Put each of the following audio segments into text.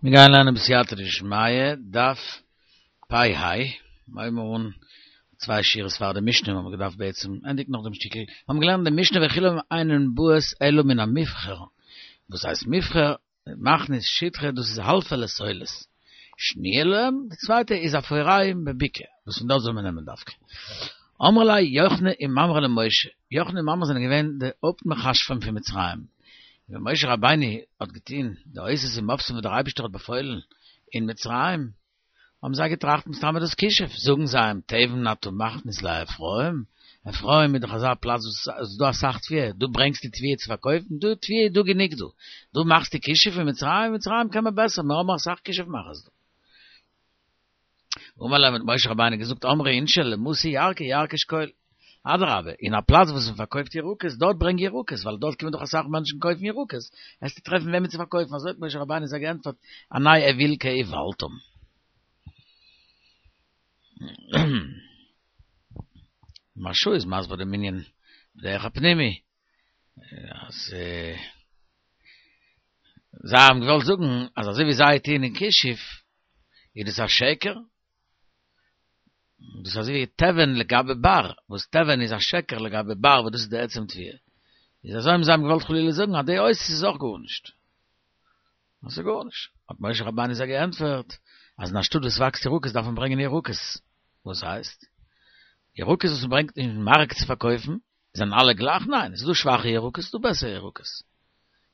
מיר גייען לערנען בסייעתא דשמיא, דף פ ה, מיר הייבן אן צוויי שורות פאר די משנה, מיר האבן געדארפט בעצם ענדיגן נאך דעם שטיקל, מיר האבן געלערנט די משנה וכולם אינן באות אלא מן המבחר, וואס הייסט מבחר? מכניס שטחה דאס איז האלפע לסולת, שניה להם, די צווייטע איז אפוריים בבקעה, וואס פון דארט זאל מען נעמען דווקא. אמרו ליה יוחני וממרא למשה, יוחני און ממרא זענען געווען די הויפט מכשפים פון מצרים, ווען משה רבינו האט געטון די אותות ומופתים וואס דער אייבערשטער האט באפוילן אין מצרים, האבן זיי געטראכט מסתמא דאס כישוף, זאגן זיי אים, תבן אתה מכניס לאפרים, אפרים איז דאך אזא פלאץ וואס איז דא אסאך תבואה, דו ברענגסט די תבואה צו פארקויפן, דא תבואה איז דא גענוג דא, דו מאכסט די כישוף אין מצרים, אין מצרים קען מען בעסער, מיר האבן אסאך כישוף מאכערס דא. אמר להם האט משה רבינו געזאגט אמרי אינשי למתא ירקא ירקא שקול, אדרבה, אין א פלאץ וואס מען פארקויפט ירקות, דארט ברענג ירקות, ווייל דארט קומען דאך אסאך מענטשן קויפן ירקות, וועסטו טרעפן וועמען צו פארקויפן, אזוי האט משה רבינו זיי געענטפערט, אנא אוויל כאולתן. מהרש"א איז מסביר דעם ענין בדרך הפנימי, אז זיי האבן געוואלט זאגן אז אזוי ווי זיי טוען אין כישוף, איז דאס א שקר, דאס איז אזוי ווי תבן לגבי בר, וואס תבן איז א שקר לגבי בר וואס דאס איז די עצם תבואה. איז אזוי האבן זיי געוואלט חלילה זאגן אז די אותות איז אויך גארנישט. דאס איז גארנישט. האט משה רבינו זיי געענטפערט, אז אין א שטאט וואס וואקסט ירקות דארף מען ברענגען ירקות. וואס הייסט? ירקות וואס מען ברענגט אין מארק צו פארקויפן, זענען אלע גלייך? ניין, עס איז דא שוואכע ירקות, עס איז דא בעסערע ירקות.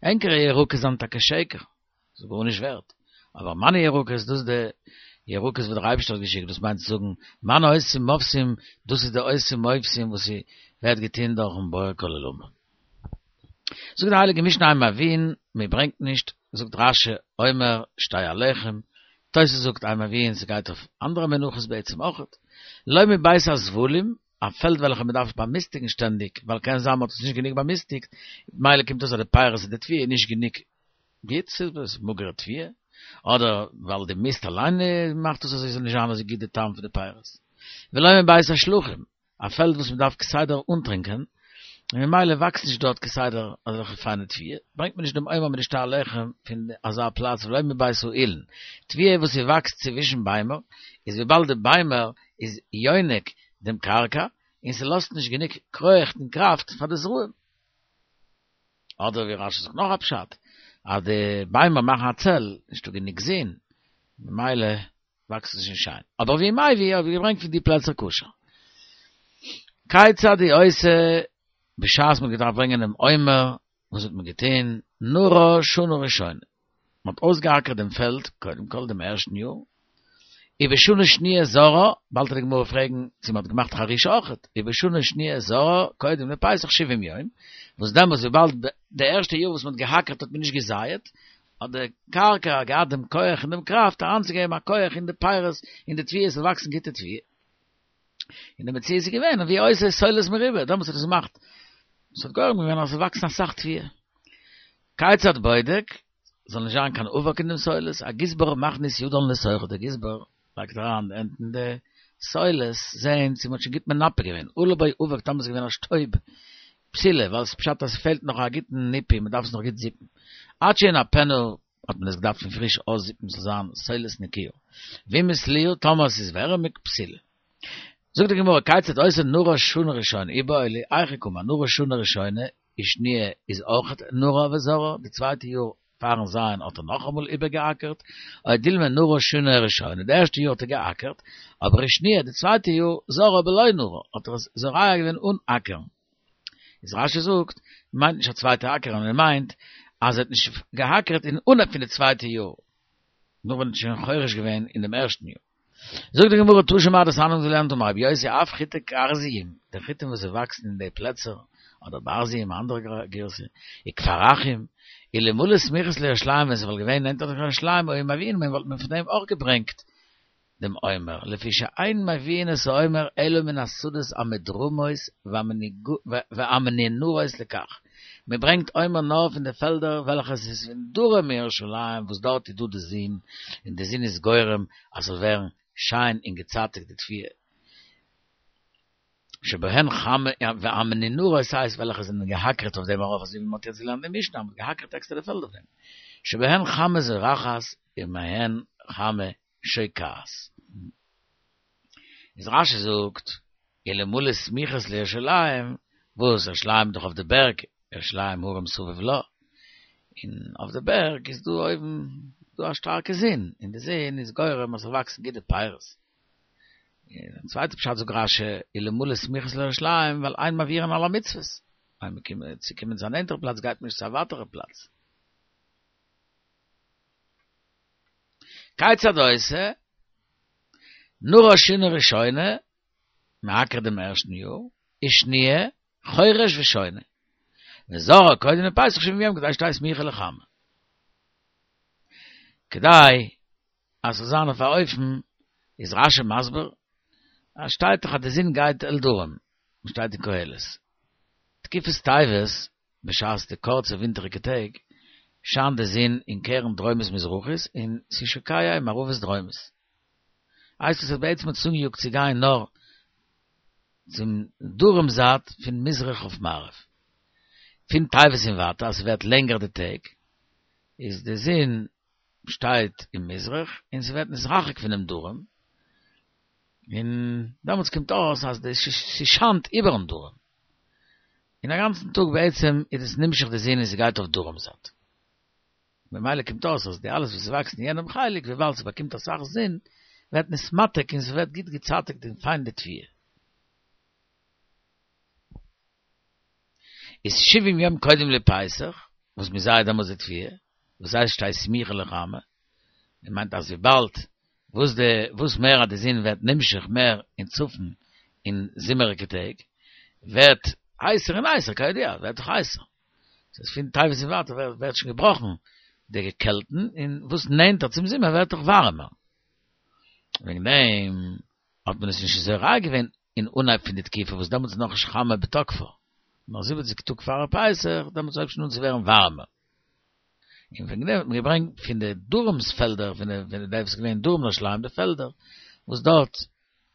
ענקערע ירקות זענען טאקע שקר, ס'איז גארנישט ווערט. אבער מיינע ירקות, דאס איז די ירקות וואס דער אייבערשטער האט געשיקט, דאס מיינט צו זאגן, מיינע אותות ומופתים, דאס איז די אותות ומופתים וואס ווערט געטון דורכ'ן בורא כל עולמים. זאגט די הייליגע משנה אין מביאין, מען ברענגט נישט, זאגט רש"י, עומר, שתי הלחם, תוס' זאגט אין מביאין, ס'גייט אויף אנדערע מנחות בעצם אויכעט, לא מבית הזבלים, א פעלד וועלכע מען דארף באמיסטיגן שטענדיג, ווייל קען זיין מען האט עס נישט גענוג באמיסטיגט, ממילא קומט אויס אז די פירות און די תבואה איז נישט גענוג גוט, ס'איז מאגערע תבואה, אדער ווייל די מיסט אליין מאכט עס אזוי ס'זאל נישט זיין אזוי גוט די טעם פון די פירות. ולא מבית השלחין, א פעלד וואס מען דארף כסדר אנטרינקען, און ממילא וואקסט נישט דארט כסדר אזעלכע פיינע תבואה, ברענגט מען נישט דעם עומר מיט די שתי הלחם פון אזא פלאץ ולא מבית האילן. תבואה וואס ס'וואקסט צווישן ביימער, איז וויבאלד די ביימער איז יונק דעם קרקע, און ס'לאזט נישט גענוג כח און קראפט פאר די זרעים. אדער ווי רש"י זאגט נאך א פשט, אז די ביימער מאכן א צל, נישטא גענוג זון, ממילא וואקסט עס נישט שיין. אבער והוא מביא האט געברענגט פון די פלעצער כשר. כיצד הוא עושה, בשעת מ'האט געדארפט ברענגען דעם עומר, וואס האט מען געטון? נרה שנה ראשונה, מען האט אויסגעאקערט דעם פעלד, קודם כל דעם ערשטן יאר, ובשנה שניה זרעה, באלד וועט די גמרא פרעגן צו מען האט געמאכט חרישה אויכעט, ובשנה שניה זרעה קודם לפסח שבעים יום, וואס דעמאלס וויבאלד די ערשטע יאר וואס מען האט געהאקערט האט מען נישט געזייעט, האט די קרקע געהאט דעם כח און דעם קראפט אריינצוגעבן א כח אין די פירות אין די תבואה עס זאל וואקסן גוטע תבואה. און די מציאות איז געווען והוא עושה סולת מרובה, דעמאלס האט עס געמאכט, עס האט גורם געווען אז עס זאל וואקסן אסאך תבואה. כיצד בודק, זאל נישט זיין קיין אבק אין דעם סולת, הגזבר מכניס ידו לתוכה, דער גזבר לייגט אריין די הענט אין די סולת, זעהן צו מען האט שוין גוט מנפה געווען, עלה בו אבק טאמער עס איז געווען א שטויב, פסולה, ווייל עס פשט אז עס פעלט נאך א גוטן ניפוי, מען דארף עס נאך גוט זיפן. עד שינפנה האט מען עס געדארפט פון פריש אויסזיפן ס'זאל זיין סולת נקיה. ואם התליעה, טאמער עס איז ווערעמיג, פסולה. זאגט די גמרא, כיצד עושה נרה שנה ראשונה, איבעיא להו, היכי קאמר, נרה שנה ראשונה, ושניה איז אויכעט נרה וזרעה, די צווייטע יאר פארן זייען האט ער נאכאמאל איבערגעאקערט, או דילמא נרה שנה ראשונה, די ערשטע יאר האט ער געאקערט, אבער ושניה די צווייטע יאר זרעה בלא נרה, האט ער עס זורע געווען אן אקערן. איז רש"י זאגט, מיינט נישט א צווייטע אקערן, ער מיינט אז ער האט נישט געאקערט אין אנהייב פון די צווייטע יאר, נאר ווען ער האט שוין חורש געווען אין דעם ערשטן יאר. זאגט די גמרא תא שמע דתניא האבן געלערנט אמר רבי יוסי אף חיטי כרזיים, די חיטים וואס זיי וואקסן אין די פלעצער, אדער ברזיים א אנדערע גירסא, וכפרחים, אלמלא סמיכות לירושלים ווען ס'וואלט געווען נענטער צו ירושלים היו מביאין מהן וואלט מען פון דעם אויך געברענגט דעם עומר, לפי שאין מביאין את העומר אלא מן השדות המדרומות והמנונרות לכך, מען ברענגט עומר נאר פון די פעלדער וועלכע עס איז פון דרום ירושלים וואס דארט איז דא די זון און די זון איז גורם אז ס'זאל ווערן שיין און געצייטיגט די תבואה שבהן חמה והמנונרות הייסט וועלכע זענען געהאקערט אויף דעם ארויף אזוי ווי מ'האט יעצט געלערנט אין משנה אז מ'האט געהאקערט עקסטערע פעלד אויף דעם שבהן חמה זורחת. ומהן חמה שוקעת. איז רשי זאגט, אלמלא סמיכות לירושלים, וואס ירושלים איז דאך אויף די בערג, ירושלים הרים סביב לה, און אויף די בערג איז דא אויבן דא א שטארקע זון, און די זון איז גורם אז ס'זאל וואקסן גוטע פירות. און א צווייטע פשט זאגט רשי, אלמלא סמיכות לירושלים, ווייל אין מעבירין על המצוות, ווייל מ'קומט צו קומען צו א נענטערע פלאץ גייט מען נישט צו א ווייטערע פלאץ. כיצד עושה? נרש שנה ראשונה, מ'אקערט דעם ערשטן יאר, ושניה, חורש ושונה. וזורע קודם לפסח שבעים יום כדי שתהא סמיכה לחמה. כדי אז ס'זאל זיין אויף א אופן, איז רשי מסביר, אז שטייט דאך אז די זון גייט אל דרום, שטייט אין קהלת. תקופת טבת, בשעת די קורצע ווינטעריגע טעג, שיינט די זון אין קרן דרומית מזרחית און ס'איז שוקע אין מערבית דרומית. הייסט עס אז בעצם האט עס אנגעיאגט צו גיין נאר צום דרום זייט פון מזרח אויף מערב. פון טבת און ווייטער אז ס'ווערט לענגער די טעג איז די זון שטייט אין מזרח און ס'ווערט נתרחק פונעם דרום און דעמאלטס קומט אויס אז די ס'שיינט איבערן דרום און א גאנצן טאג בעצם איז עס נמשך די זון און ס'גייט אויף דרום זייט. ממילא קומט אויס אז די אלעס וואס ס'וואקסט אין יענעם חלק וויבאלד ס'באקומט אסאך זון ווערט נתמתק און ס'ווערט גוט געצייטיגט און פיין די תבואה. איז שבעים יום קודם לפסח וואס מ'זייט דעמאלטס די תבואה, וואס הייסט שתהא סמיכה לחמה, מען מיינט אז וויבאלד וואס די וואס מער אז די זון ווערט נמשך מער אין צפון אין זומעריגע טעג ווערט הייסער און הייסער כידוע ווערט דאך הייסער ס'איז פון טבת און ווייטער ווערט שוין געבראכן די קעלטן און וואס נענטער צום זומער ווערט דאך ווארעמער וועגן דעם האט מען עס נישט זורע געווען אין אנהייב פון די תקופה וואס דעמאלטס איז נאכנישט חמה בתוקפה נאר זיבעציג טאג פאר פסח דעמאלטס הויבט שוין אן צו ווערן ווארעמער. און וועגן דעם האט מען געברענגט פון די דרום'ס פעלדער, פון די פון די וואס איז געווען דרום ירושלים די פעלדער, וואס דארט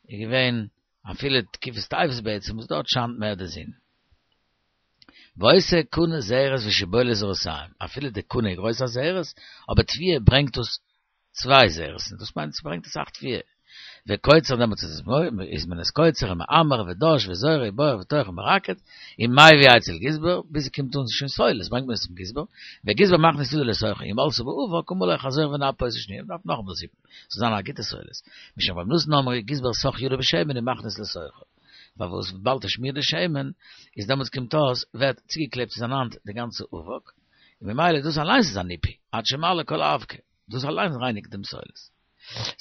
איז געווען אפילו תקופת טבת בעצם, וואס דארט שיינט מער די זון. ועושה קנה זרת ושבולת זרתים, אפילו די קנה איז גרויס א זרת, אבער תבואה ברענגט דאס צוויי זרות, און דאס מיינט ס'ברענגט אסאך תבואה. וקוצר דעמאלטס איז איז מען עס קוצר ומעמר ודש וזורע ובורר וטוחן ומרקד, ומביא אצל גזבר, ביז ס'קומט אן שוין סולת ברענגט מען עס צום גזבר, וגזבר מכניס ידו לתוכה, אם עלתה באבק אמר לו חזור ונפה אותה שניה, מ'דארף נאכאמאל זיפן, ס'זאל זיין א גוטע סולת. משום רבי נתן אמרו גזבר סך ידו בשמן ומכניס לתוכה. פארוואס וויבאלד ער שמירט די שמן, איז דעמאלטס קומט אויס ווערט צוגעקלעבט צו זיין האנט די גאנצע אבק, און ממילא דאס אליינס איז א ניפוי, עד שמעלה כל האבקה. דאס אליין רייניגט דעם סולת.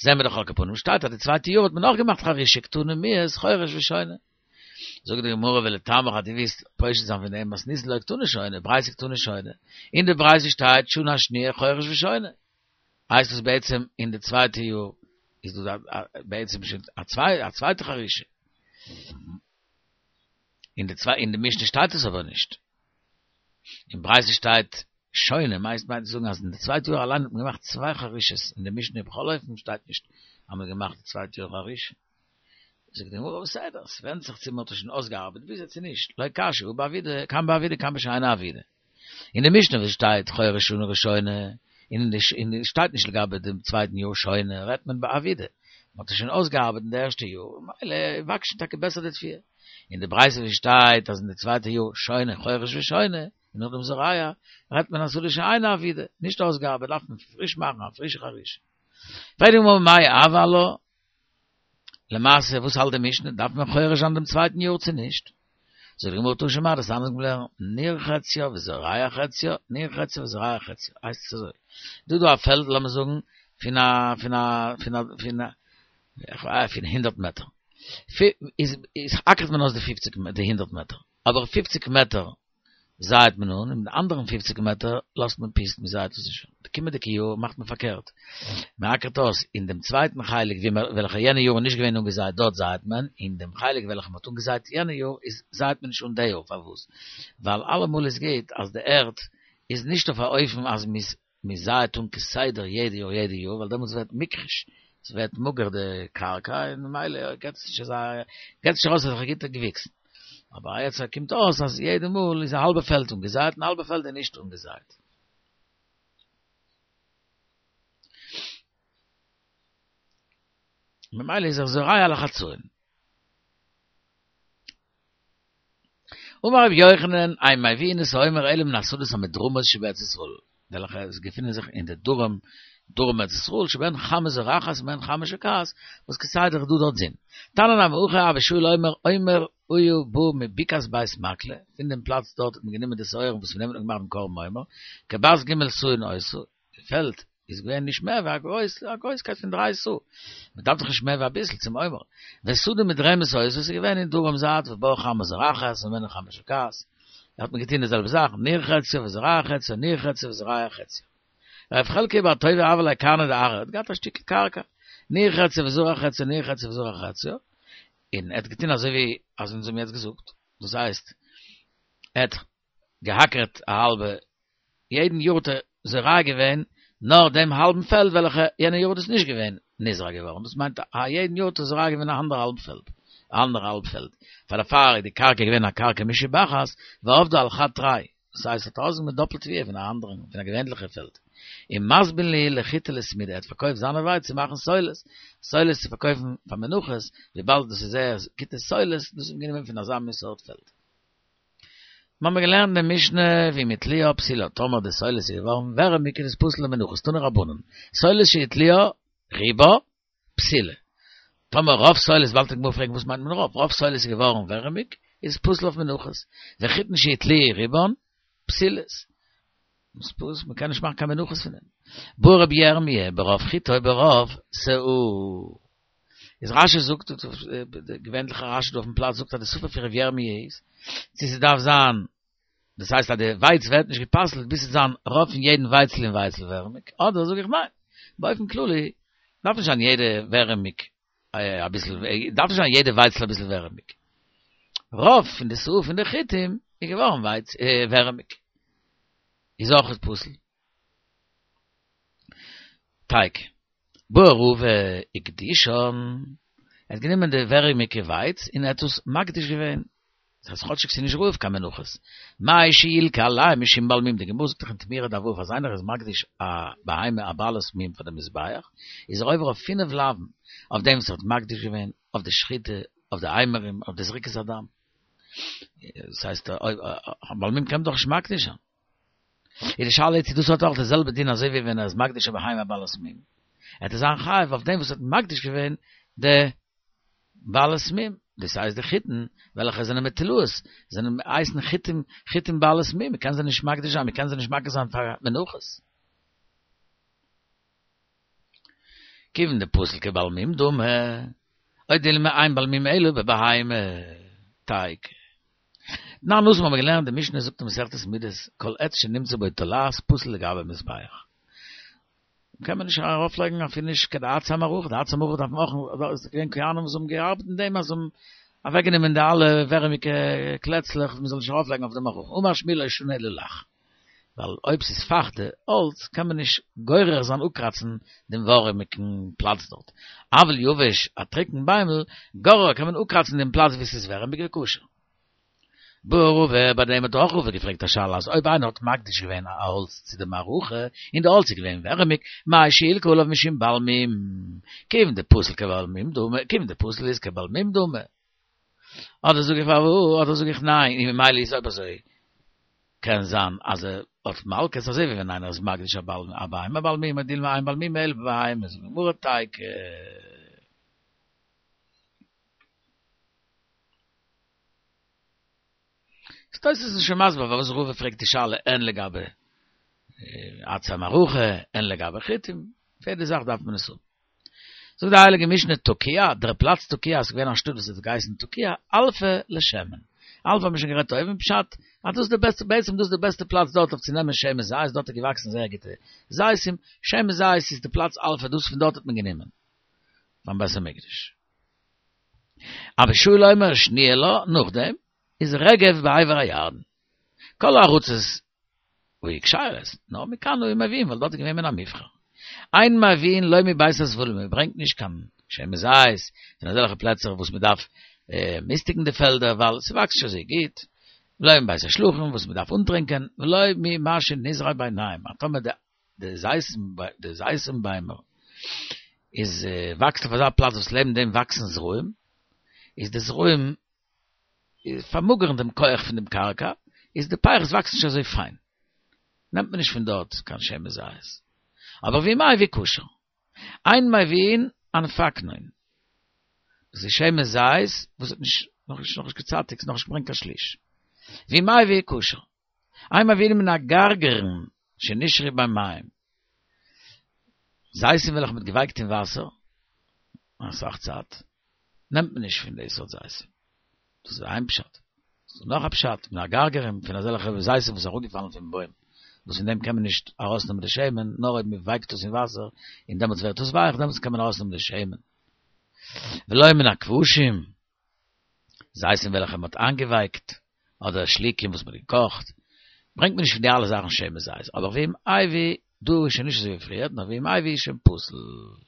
זעהן מיר דאך על כל פנים שטייט אז די צווייטע יאר האט מען נאך געמאכט חרישה קתני מיהת חורש ושונה. זאגט די גמרא ולטעמיך אז דו ווילסט פושט זיין פון דעם מתניתין לא קתני שונה, ברייתא קתני שונה, אין די ברייתא שטייט שנה השניה חורש ושונה. הייסט עס בעצם אין די צווייטע יאר איז דא בעצם שוין א צווייטע חרישה. אין די צוויי אין די משנה שטייט עס אבער נישט. אין ברייתא שטייט שונה, מיינסט מיינט צו זאגן אז אין די צווייטע יאר אליין האט מען געמאכט צוויי חרישות, אין די משנה בכל אופן שטייט נישט אז מען האט געמאכט די צווייטע יאר חרישה. זאגט די גמרא בסדר, עס ווענדט זיך צו מען האט עס שוין אויסגעארבעט ביז יעצט צו נישט, לא קשיא הא בעבידה, כאן בעבידה כאן בשאינה עבידה. אין די משנה וואס שטייט חורש שנה ראשונה, און אין די אין די שטייט נישט לגבי דעם צווייטן יאר שונה, רעדט מען בעבידה, מען האט עס שוין אויסגעארבעט אין די ערשטע יאר, ממילא וואקסט שוין טאקע בעסער די תבואה. אין די ברייתא ווי שטייט אז אין די צווייטע יאר שונה חורש ושונה, און נאכדעם זורע, רעדט מען אשדה שאינה עבידה, נישט אויסגעארבעט דארף מען פריש מאכן א פרישע חרישה. פרעגט די גמרא מאי הוי עלה, למעשה וואס האלט די משנה, דארף מען חורש זיין דעם צווייטן יאר צו נישט? זאגט די גמרא תא שמע דתניא מ'האט געלערנט, ניר חציה וזורע חציה, ניר חציה וזורע חציה, הייסט עס אזוי, דא דא א פעלד לאמיר זאגן פון א פון א פון א פון א פון הונדערט מעטער, איז איז אקערט מען אויס די פופציג די הונדערט מעטער, אבער פופציג מעטער זייעט מען אן, און די אנדערן פופציג מעטער לאזט מען פוסט, מען זייעט עס נישט אן. די קומענדיגע יאר מאכט מען פארקערט, מען אקערט אויס אין דעם צווייטן חלק ווי מען וועלכע יענע יאר איז נישט געווען אנגעזייט דארט זייעט מען, אין דעם חלק וועלכע מען האט אנגעזייט יענע יאר איז זייעט מען נישט אן די יאר, פארוואס? ווייל אלעמאל איז גוט אז די ערד איז נישט אויף א אופן אז מען איז מען זייעט אן כסדר יעדע יאר יעדע יאר ווייל דעמאלטס ווערט מוכחש, ס'ווערט מאגער די קרקע און ממילא געט עס נישט אזא געט נישט ארויס אזעלכע גוטע געוויקסן. אבער יעצט קומט אויס אז יעדע מאל איז א האלבע פעלד אנגעזייט און א האלבע פעלד איז נישט אנגעזייט. ממילא איז ער זורע על החצאין. אמר רבי יוחנן, אין מביאין את העומר אלא מן השדות המדרומות שבארץ ישראל, וועלכע עס געפינען זיך אין די דרום, דרום ארץ ישראל, שבהן חמה זורחת ובהן חמה שוקעת, וואס כסדר איז דא דארט זון. תניא נמי הכי אבא שאול אומר, עומר היה בא מבקעת בית מקלה, פון דעם פלאץ דארט האט מען גענומען די שעורים וואס פון דעם האט מען געמאכט דעם קרבן עומר, כבת ג' סאין היתה, די פעלד איז געווען נישט מער ווי א גרויס א גרויסקייט פון דריי סאה, מען דארף דאך נישט מער ווי אביסל צום עומר, ושדה מדרמת היתה איז געווען אין דרום זייט ובה חמה זורחת וממנה חמה שוקעת, האט מען געטון די זעלבע זאך, ניער חציה וזורע חציה, ניער חציה וזורע חציה. רב חלקיה בר טוביה הוה ליה קרנא דארעא, האט געהאט א שטיקל קרקע, ניער חציה וזרע חציה, ניער חציה וזרע חציה, און ער האט געטון אזוי ווי אז אונז האבן יעצט געזאגט, דאס הייסט, ער האט געהאקערט א האלבע, יעדן יאר האט ער זורע געווען נאר דעם האלבן פעלד וועלכע יענע יאר איז דאס נישט געווען נזרע געווארן, דאס מיינט א יעדן יאר האט ער זורע געווען א אנדער האלב פעלד, א אנדער האלב פעלד, פאר דערפאר איז די קרקע געווען א קרקע משובחת, ועבדה על חד תרי, דאס הייסט האט ארויסגענומען דאפלט תבואה פון א אנדערן, פון א געווענליכע פעלד. און מזבין להו לחיטי לסמידא, ער האט פארקויפט זיינע ווייץ צו מאכן סולת, סולת צו פארקויפן פאר מנחות, וויבאלד דאס איז זייער גוטע סולת, דאס האט מען גענומען פון אזא מין סארט פעלד. מ'האמיר געלערנט אין די משנה ואם הטלואה פסולה, טאמער די סולת איז געווארן ווערעמיג איז עס פסול למנחות, תנו רבנן, סולת שהטלואה רובה פסולה, טאמער רוב סולת, באלד וועט די גמרא פרעגן וואס מיינט מען רוב, רוב סולת איז געווארן ווערעמיג, איז עס פסול אויף מנחות, וחיטין שהטלואה רובן פסולות, איז פסול, מ'קען נישט מאכן קיין מנחות פון דעם. בעי רבי ירמי' ברוב חיטה או ברוב סאה. איז רשי זאגט, די געווענליכע רשי דא אויפן פלאץ זאגט אז די ספק פון ר' ירמי' איז, צו ס'דארף זיין, דאס הייסט אז די ווייץ ווערט נישט גע'פסל'ט ביז ס'זאל זיין רוב פון יעדן ווייצל אין ווייצל ווערעמיג, אדער זאג איך ניין, באופן כללי דארף נישט זיין יעדע ווערעמיג אביסל, דארף נישט זיין יעדע ווייצל אביסל ווערעמיג, רוב פון די סאה פון די חיטים איז געווארן ווייץ ווערעמיג, איז אויך פסול. תיקו. בעי רבא הקדישן, ער האט גענומען די ווערעמיגע ווייץ און ער האט עס מקדיש געווען, דאס הייסט כאטשיג ס'איז נישט ראוי אויף קיין מנחות, מהו שילקה עליהם משום בעל מום, די גמרא זאגט דאך אין תמורה דף ו' אז איינער איז מקדיש א בהמה א בעלת מום פאר די מזבח, איז ער עובר אויף פינף לאווין, אויף דעם וואס ער האט מקדיש געווען, אויף די שחיטה, אויף די אימורים, אויף די זריקת הדם. דאס הייסט א בעל מום קען מען דאך נישט מקדיש זיין. איז די שאלה צו דאס האט אויך די זעלבע דין אזוי ווי ווען ער איז מקדיש א בהמה בעלת מום, עט ער זיין חייב אויף דעם וואס האט מקדיש געווען די בעלת מום, דאס הייסט די חיטין וועלכע זענען מטולאות, זענען הייסן חיטים חיטים בעלת מום, מען קען זיי נישט מקדיש זיין, מען קען זיי נישט מקריב זיין פאר מנחות. כיוון דפסיל כבעל מום דמי, או דילמא אין בעל מום אלא בבהמה, תיקו. תנן התם האבן מיר געלערנט די משנה זאגט אין מסכת מידות כל עץ שנמצא בו תולעת פסול לגבי מזבח. קען מען נישט ארויף לייגן אפילו נישט קיין עצי המערכה, די עצי המערכה דארף מען אויך, עס איז געווען כהנים וואס האבן געארבעט אין דעם אז זיי האבן אוועק גענומען די אלע ווערעמיגע קלעצלעך מען זאל נישט ארויף לייגן אויף די מערכה, אמר שמואל לא שנו אלא לח. ווייל אויב ס'איז פייכטע האלץ קען מען נישט גורר זיין אפקראצן דעם ווארעמיגן פלאץ דארט, אבל יבש א טרוקן ביימל גורר קען מען אפקראצן דעם פלאץ וואו ס'איז ווערעמיג וכשר. בעי רבא, ביי דעם האט אויך רבא געפרעגט א שאלה אז אויב איינער האט מקדיש געווען א האלץ צו די מערכה און די האלץ איז געווען ווערעמיג, מהו שילקה עליו משום בעל מום, כיוון דפסיל כבעל מום דמי, כיוון דפסיל איז כבעל מום דמי. אדער זאג איך פארוואס, אדער זאג איך ניין, און ממילא איז אויב אזוי קען זיין אז ער האט מלקות אזוי ווי ווען איינער איז מקדיש א בעל א בהמה בעל מום או דילמא אין בעל מום אלא בבהמה זאגט די גמרא תיקו. איז תוס' איז שוין מסביר פארוואס רבא פרעגט די שאלה הן לגבי עצי המערכה הן לגבי חיטים, פאר יעדע זאך דארף מען עס האבן. זאגט די הייליגע משנה תקיע, דער פלאץ תקיע איז געווען א שטאט וואס האט געהייסן תקיע, אלפא לשמן, אלפא האט מען שוין גערעדט אויבן, פשט אז דאס איז די בעסטע, בעצם דאס איז די בעסטע פלאץ דארט אויף צו נעמען שמן זית, דארט איז געוואקסן זייער גוטע זיתים, שמן זית איז די פלאץ אלפא, דאס פון דארט האט מען גענומען פארן בית המקדש. אבא שאול אומר שניה לה, נאכדעם איז רגב בעבר הירדן. כל הארצות היו כשרות, נאר מכאן היו מביאים, ווייל דארט איז געווען מן המובחר. אין מביאין לא מבית הזבולים, מען ברענגט נישט קיין שמן זית פון אזעלכע פלעצער וואס מען דארף מיסטיגן די פעלדער ווייל ס'וואקסט נישט אזוי גוט, ולא מבית השלחין וואס מען דארף אנטרינקען, ולא ממה שנזרע ביניהם, אז טאמער די זיתים ביימער. איז וואקסט אויף אזא פלאץ וואס לעבן דעם וואקסן זרעים, איז די זרעים פארמאגערן דעם כח פון דעם קרקע, איז די פירות וואקסן נישט אזוי פיין, נעמט מען נישט פון דארט קיין שמן זית. אבער ואם מביא כשר. אין מביאין אנפקנון. דאס איז שמן זית וואס האט נישט נאכנישט נאכנישט געצייטיגט, נאכנישט געברענגט קיין שליש. ואם מביא כשר. אין מביאין מן הגרגרין שנשרו במים. זיתים וועלכע מ'האט געווייקט אין וואסער אסאך צייט, נעמט מען נישט פון די סארט זיתים. דאס איז איין פשט. ס'איז דא נאך א פשט, מן הגרגרים, פון אזעלכע זיתים וואס איז אראפגעפאלן פון בוים, וואס פון דעם קען מען נישט ארויסנעמען די שמן, נאר אויב מ'ווייקט עס אין וואסער, און דעמאלטס ווערט עס ווייך, דעמאלטס קען מען ארויסנעמען די שמן. ולא מן הכבושים, זיתים וועלכע מ'האט איינגעווייקט, אדער שליקים וואס מ'האט געקאכט, ברענגט מען נישט פון די אלע זאכן שמן זית, אבער ואם הביא, דא איז שוין נישט אזוי ווי פריער, נאר ואם הביא איז שוין פסול.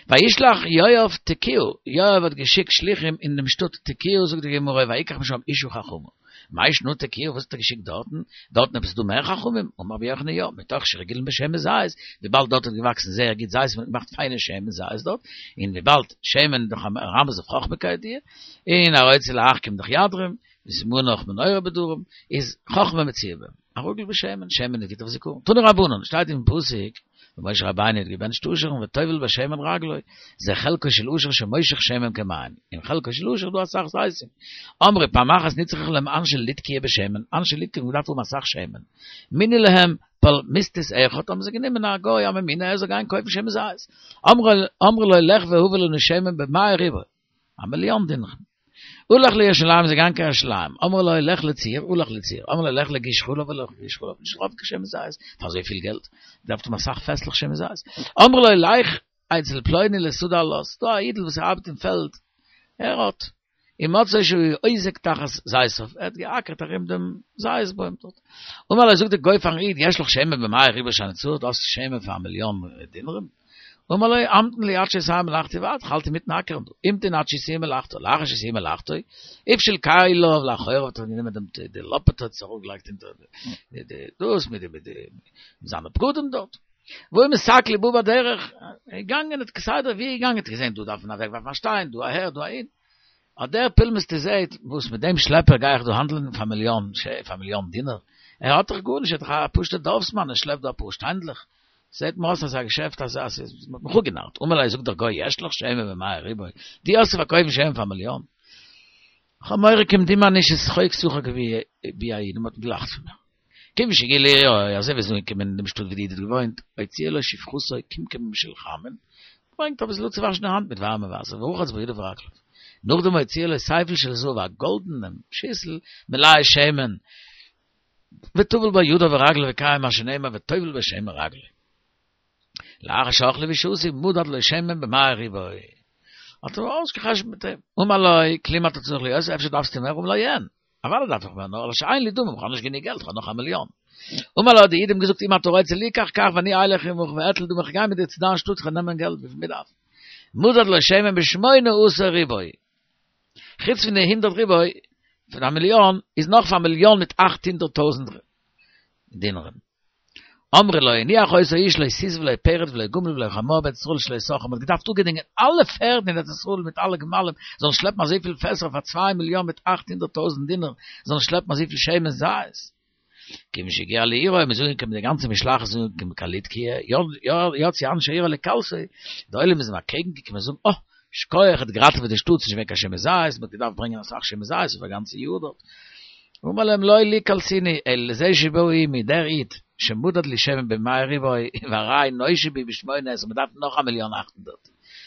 וישלח יואב תקיעה, יואב האט געשיקט שליחים אין דעם שטאט תקיעה, זאגט די גמרא, ויקח משם אשה חכמה. מאי שנא תקיעה, וואס האט ער געשיקט דארטן? דארטן עפעס דא מער חכמים? אמר רבי יוחנן יא, מתוך שרגילין בשמן זית, וויבאלד דארט האט געוואקסן זייער גוט זית, מען האט געמאכט פיינע שמן זית דארט, און וויבאלד שמן איז דאך א מרמז אויף חכמה כידוע, און הרוצה להחכים דאך ידרים, וסימנך מנורה בדרום, איז חכמה מצויה בהם. הרגיל בשמן, שמן איז גוט אויף זיכרון. תנו רבנן, שטייט אין פסוק, ווען משה רבינו האט געבענטשט אשר'ן וטובל בשמן רגלו, זה חלקו של עושר שמושך שמן כמים, אין חלקו של עושר איז דא אסאך זיתים. אמרי פעם אחת נצרכו להם אנשי ליטקיה בשמן, אנשי ליטקיה האבן געדארפט האבן אסאך שמן. מינו להם פלמיסטיס אחד, האבן זיי גענומען א גוי א ממונה ער זאל גיין קויפן שמן זית. אמרו לו לך והבא לנו שמן במאה ריבוא, א מיליאן דינרים. הלך לירושלים איז ער געגאנגען קיין ירושלים, אמרו לו לך לצור, הלך לצור, אמרו לו לך לגוש חלב, הלך לגוש חלב, נישט געטראפן קיין שמן זית, פאר אזוי פיל געלט, געדארפט האבן אסאך פעסלעך שמן זית, אמרו לו לך אצל פלוני לשדה הלת, ס'דא א אידל וואס ארבעט אין פעלד, ער האט, ומצאו שהוא עוזק תחת זיתיו, ער האט געאקערט ארום דעם זית בוים דארט, אמר לו זאגט דער גוי פארן איד, יש לך שמן במאה ריבוא שאני צריך, דו האסט שמן פאר א מיליאן דינרים? אמר לו, המתן לי עד שאסיים מלאכתי ועד, כ'האלט אינמיטן אקערן דא, המתין עד שסיים מלאכתו, לאחר שסיים מלאכתו, הפשיל כליו לאחוריו האט ער גענומען דעם די לאפעטע האט עס ארויפגעלייגט אונטער די די דאס מיט די מיט די זיינע בגדים דארט. והיה מסתכל ובא בדרך, געגאנגען האט כסדר ווי ער געגאנגען האט ער געזען דא דארף מען אוועקווארפן א שטיין, דא אהער דא אהין, האט דער פולמוסטי זעהט וואס מיט דעם שלעפער גיי איך דא האנדלען פאר מיליאן פאר מיליאן דינר, ער האט דאך גארנישט ער איז דאך א פשוטער דארפסמאן ער שלעפט דא אפאר שטיינדלעך, זעהט מיר אויס אזא געשעפט אז אז מ'האט מיך אפגענארט, אמר לו זאגט דער גוי יש לך שמן במאה ריבוא, דו האסט צו פארקויפן שמן פאר מיליאן? כ'האב מורא כמדומני ששחוק שחק בי האיד, מ'האט געלאכט פון מיר. כיוון שהגיע לעירו, אזוי ווי ער איז אנגעקומען אין דעם שטאט ווי די איד האט געוואוינט, הוציא לו שפחתו קומקום של חמין, ברענגט אביסל אפצואוואשן די האנט מיט ווארעמע וואסער, ורחץ בו ידיו ורגליו. נאכדעם הוציא לו סייפל של זהב, א גאלדענעם שיסל, מלא שמן, וטבל בו ידיו ורגליו וקיים מה שנאמר וטובל בשמן רגלו. לאחר שאכלו ושתו מדד לו שמן במאה ריבוא. האט ער אויסגעחשבונ'ט מיט אים. אמר לו, כלום אתה צריך ליותר, אפשר דארפסטו מער? אמר לו, אין. אוודאי דארף איך מער, נאר אלא שאין לי דמים, כ'האב נישט גענוג געלט, כ'האב נאך א מיליאן. אמר לו, האט די איד אים געזאגט, אם אתה רוצה ליקח, קח ואני אלך עמך ואטול דמים, כ'גיי מיט דיר צו דיין שטאט, כ'וועל נעמען געלט וויפיל מ'דארף. מדד לו שמן בשמונה עשר ריבוא. חוץ פון די הונדערט ריבוא, פון א מיליאן, איז נאך פאר א מיליאן מיט 800,000 דינרים. אמרו לו הניח אותו האיש לא סוס ולא פרד ולא גמל ולא חמור בארץ ישראל שלא שכר, מ'האט געדארפט אפגעדינגען אלע פערדן אין ארץ ישראל מיט אלע גמלים זאלן שלעפן אזויפיל פעסער פאר צוויי מיליאן מיט 800,000 דינר זאלן שלעפן אזויפיל שמן זית. כיוון שהגיע לעירו, מ'איז אנגעקומען די גאנצע משלחת איז אנגעקומען קיין ליטקיה, יצאו אנשי עירו לקלסו, די עולם איז אים אקעגן געקומען זאגן אה, שכוח האט געראטעוועט די שטאט, ס'איז נישט געווען קיין שמן זית, מ'האט געדארפט ברענגען אסאך שמן זית אויף א גאנצע יאר דארט. אמר להם לא לי קלסוני, אלא לזה שבא עמי, דער איד, שמדד לי שמן במאה ריבוא, והרי נושע בי בשמונה עשרה, מ'דארף נאך א מיליאן 800.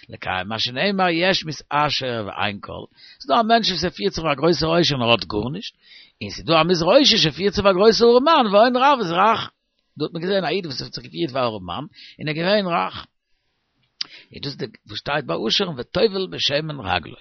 לקיים מה שנאמר יש מתעשר ואין כל, ס'איז דא א מענטש וואס ער פירט זיך ווי א גרויסער עושר און ער האט גארנישט, און ס'איז דא א מתרושש שפירט זיך ווי א גרויסער ארעמאן והון רב איז רך. דא האט מען געזען א איד וואס האט זיך געפירט ווי א ארעמאן און ער איז געווען רייך. איז דאס די וואס שטייט ביי אשר'ן וטובל בשמן רגלו.